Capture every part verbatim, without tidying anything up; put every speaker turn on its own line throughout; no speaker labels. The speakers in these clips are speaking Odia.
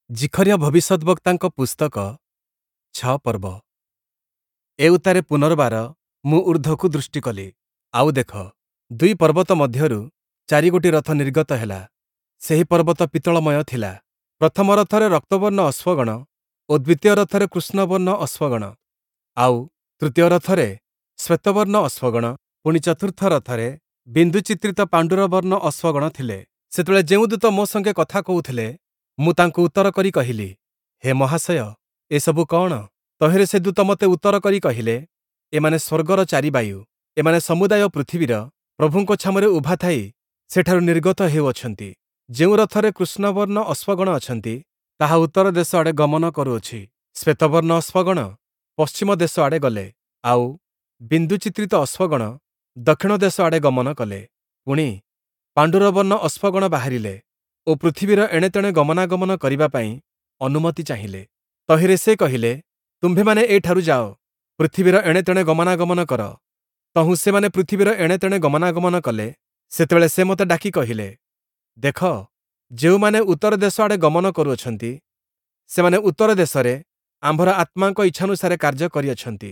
ଜିଖରିୟ ଭବିଷ୍ୟଦ୍‌ବକ୍ତାଙ୍କ ପୁସ୍ତକ ଛଅ ପର୍ବ। ଏଉତ୍ତାରେ ପୁନର୍ବାର ମୁଁ ଊର୍ଦ୍ଧ୍ଵକୁ ଦୃଷ୍ଟି କଲି, ଆଉ ଦେଖ, ଦୁଇ ପର୍ବତ ମଧ୍ୟରୁ ଚାରିଗୋଟି ରଥ ନିର୍ଗତ ହେଲା, ସେହି ପର୍ବତ ପିତ୍ତଳମୟ ଥିଲା। ପ୍ରଥମ ରଥରେ ରକ୍ତବର୍ଣ୍ଣ ଅଶ୍ୱଗଣ ଓ ଦ୍ୱିତୀୟ ରଥରେ କୃଷ୍ଣବର୍ଣ୍ଣ ଅଶ୍ୱଗଣ, ଆଉ ତୃତୀୟ ରଥରେ ଶ୍ଵେତବର୍ଣ୍ଣ ଅଶ୍ୱଗଣ, ପୁଣି ଚତୁର୍ଥ ରଥରେ ବିନ୍ଦୁଚିତ୍ରିତ ପାଣ୍ଡୁରବର୍ଣ୍ଣ ଅଶ୍ୱଗଣ ଥିଲେ। ସେତେବେଳେ ଯେଉଁ ଦୂତ ମୋ ସଙ୍ଗେ କଥା କହୁଥିଲେ, ମୁଁ ତାଙ୍କୁ ଉତ୍ତର କରି କହିଲି, ହେ ମହାଶୟ, ଏସବୁ କଅଣ? ତହିଁରେ ସେ ଦୂତ ମୋତେ ଉତ୍ତର କରି କହିଲେ, ଏମାନେ ସ୍ୱର୍ଗର ଚାରି ବାୟୁ, ଏମାନେ ସମୁଦାୟ ପୃଥିବୀର ପ୍ରଭୁଙ୍କ ଛାମୁରେ ଉଭା ଥାଇ ସେଠାରୁ ନିର୍ଗତ ହେଉଅଛନ୍ତି। ଯେଉଁ ରଥରେ କୃଷ୍ଣବର୍ଣ୍ଣ ଅଶ୍ୱଗଣ ଅଛନ୍ତି, ତାହା ଉତ୍ତର ଦେଶ ଆଡ଼େ ଗମନ କରୁଅଛି। ଶ୍ଵେତବର୍ଣ୍ଣ ଅଶ୍ୱଗଣ ପଶ୍ଚିମ ଦେଶ ଆଡ଼େ ଗଲେ, ଆଉ ବିନ୍ଦୁଚିତ୍ରିତ ଅଶ୍ୱଗଣ ଦକ୍ଷିଣ ଦେଶ ଆଡ଼େ ଗମନ କଲେ। ପୁଣି, ପାଣ୍ଡୁରବର୍ଣ୍ଣ ଅଶ୍ୱଗଣ ବାହାରିଲେ ଓ ପୃଥିବୀର ଏଣେତେଣେ ଗମନାଗମନ କରିବା ପାଇଁ ଅନୁମତି ଚାହିଁଲେ। ତହିଁରେ ସେ କହିଲେ, ତୁମ୍ଭେମାନେ ଏଠାରୁ ଯାଅ, ପୃଥିବୀର ଏଣେତେଣେ ଗମନାଗମନ କର। ତହୁଁ ସେମାନେ ପୃଥିବୀର ଏଣେତେଣେ ଗମନାଗମନ କଲେ। ସେତେବେଳେ ସେ ମୋତେ ଡାକି କହିଲେ, ଦେଖ, ଯେଉଁମାନେ ଉତ୍ତର ଦେଶ ଆଡ଼େ ଗମନ କରୁଅଛନ୍ତି, ସେମାନେ ଉତ୍ତର ଦେଶରେ ଆମ୍ଭର ଆତ୍ମାଙ୍କ ଇଚ୍ଛାନୁସାରେ କାର୍ଯ୍ୟ କରିଅଛନ୍ତି।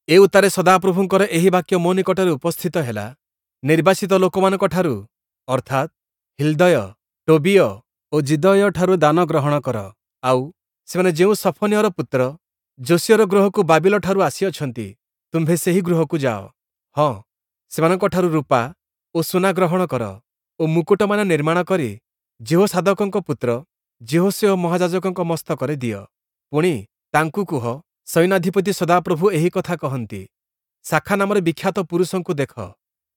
ଏଉତ୍ତାରେ ସଦାପ୍ରଭୁଙ୍କର ଏହି ବାକ୍ୟ ମୋ ନିକଟରେ ଉପସ୍ଥିତ ହେଲା, ନିର୍ବାସିତ ଲୋକମାନଙ୍କଠାରୁ, ଅର୍ଥାତ୍, ହିଲ୍ଦୟ, ଟୋବିୟ ଓ ଯିଦୟୀୟଠାରୁ ଦାନ ଗ୍ରହଣ କର, ଆଉ ସେମାନେ ଯେଉଁ ସଫନିୟର ପୁତ୍ର ଯୋଶୀୟର ଗୃହକୁ ବାବିଲଠାରୁ ଆସିଅଛନ୍ତି, ତୁମ୍ଭେ ସେହି ଗୃହକୁ ଯାଅ। ହଁ, ସେମାନଙ୍କଠାରୁ ରୂପା ଓ ସୁନା ଗ୍ରହଣ କର ଓ ମୁକୁଟମାନ ନିର୍ମାଣ କରି ଯିହୋସାଦକଙ୍କ ପୁତ୍ର ଯିହୋଶୂୟ ମହାଯାଜକଙ୍କ ମସ୍ତକରେ ଦିଅ। ପୁଣି, ତାଙ୍କୁ କୁହ, ସୈନ୍ୟାଧିପତି ସଦାପ୍ରଭୁ ଏହି କଥା କହନ୍ତି, ଶାଖା ନାମରେ ବିଖ୍ୟାତ ପୁରୁଷଙ୍କୁ ଦେଖ,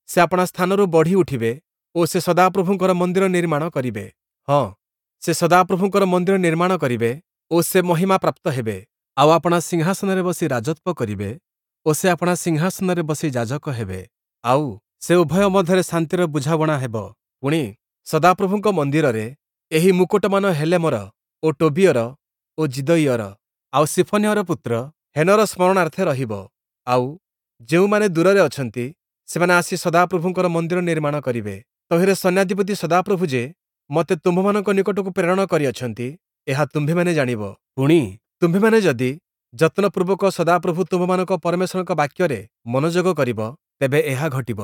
ସେ ଆପଣା ସ୍ଥାନରୁ ବଢ଼ି ଉଠିବେ ଓ ସେ ସଦାପ୍ରଭୁଙ୍କର ମନ୍ଦିର ନିର୍ମାଣ କରିବେ। ହଁ, ସେ ସଦାପ୍ରଭୁଙ୍କର ମନ୍ଦିର ନିର୍ମାଣ କରିବେ ଓ ସେ ମହିମା ପ୍ରାପ୍ତ ହେବେ, ଆଉ ଆପଣା ସିଂହାସନରେ ବସି ରାଜତ୍ଵ କରିବେ ଓ ସେ ଆପଣା ସିଂହାସନରେ ବସି ଯାଜକ ହେବେ, ଆଉ ସେ ଉଭୟ ମଧ୍ୟରେ ଶାନ୍ତିର ବୁଝାବଣା ହେବ। ପୁଣି, ସଦାପ୍ରଭୁଙ୍କ ମନ୍ଦିରରେ ଏହି ମୁକୁଟମାନ ହେଲେମର ଓ ଟୋବିୟର ଓ ଯିଦୟୀୟର, ଆଉ ସିଫନିୟର ପୁତ୍ର ହେନର ସ୍ମରଣାର୍ଥେ ରହିବ। ଆଉ ଯେଉଁମାନେ ଦୂରରେ ଅଛନ୍ତି, ସେମାନେ ଆସି ସଦାପ୍ରଭୁଙ୍କର ମନ୍ଦିର ନିର୍ମାଣ କରିବେ। ତହିଁରେ ସୈନ୍ୟାଧିପତି ସଦାପ୍ରଭୁ ଯେ ମୋତେ ତୁମ୍ଭମାନଙ୍କ ନିକଟକୁ ପ୍ରେରଣ କରିଅଛନ୍ତି, ଏହା ତୁମ୍ଭେମାନେ ଜାଣିବ। ପୁଣି, ତୁମ୍ଭେମାନେ ଯଦି ଯତ୍ନପୂର୍ବକ ସଦାପ୍ରଭୁ ତୁମ୍ଭମାନଙ୍କ ପରମେଶ୍ୱରଙ୍କ ବାକ୍ୟରେ ମନୋଯୋଗ କରିବ, ତେବେ ଏହା ଘଟିବ।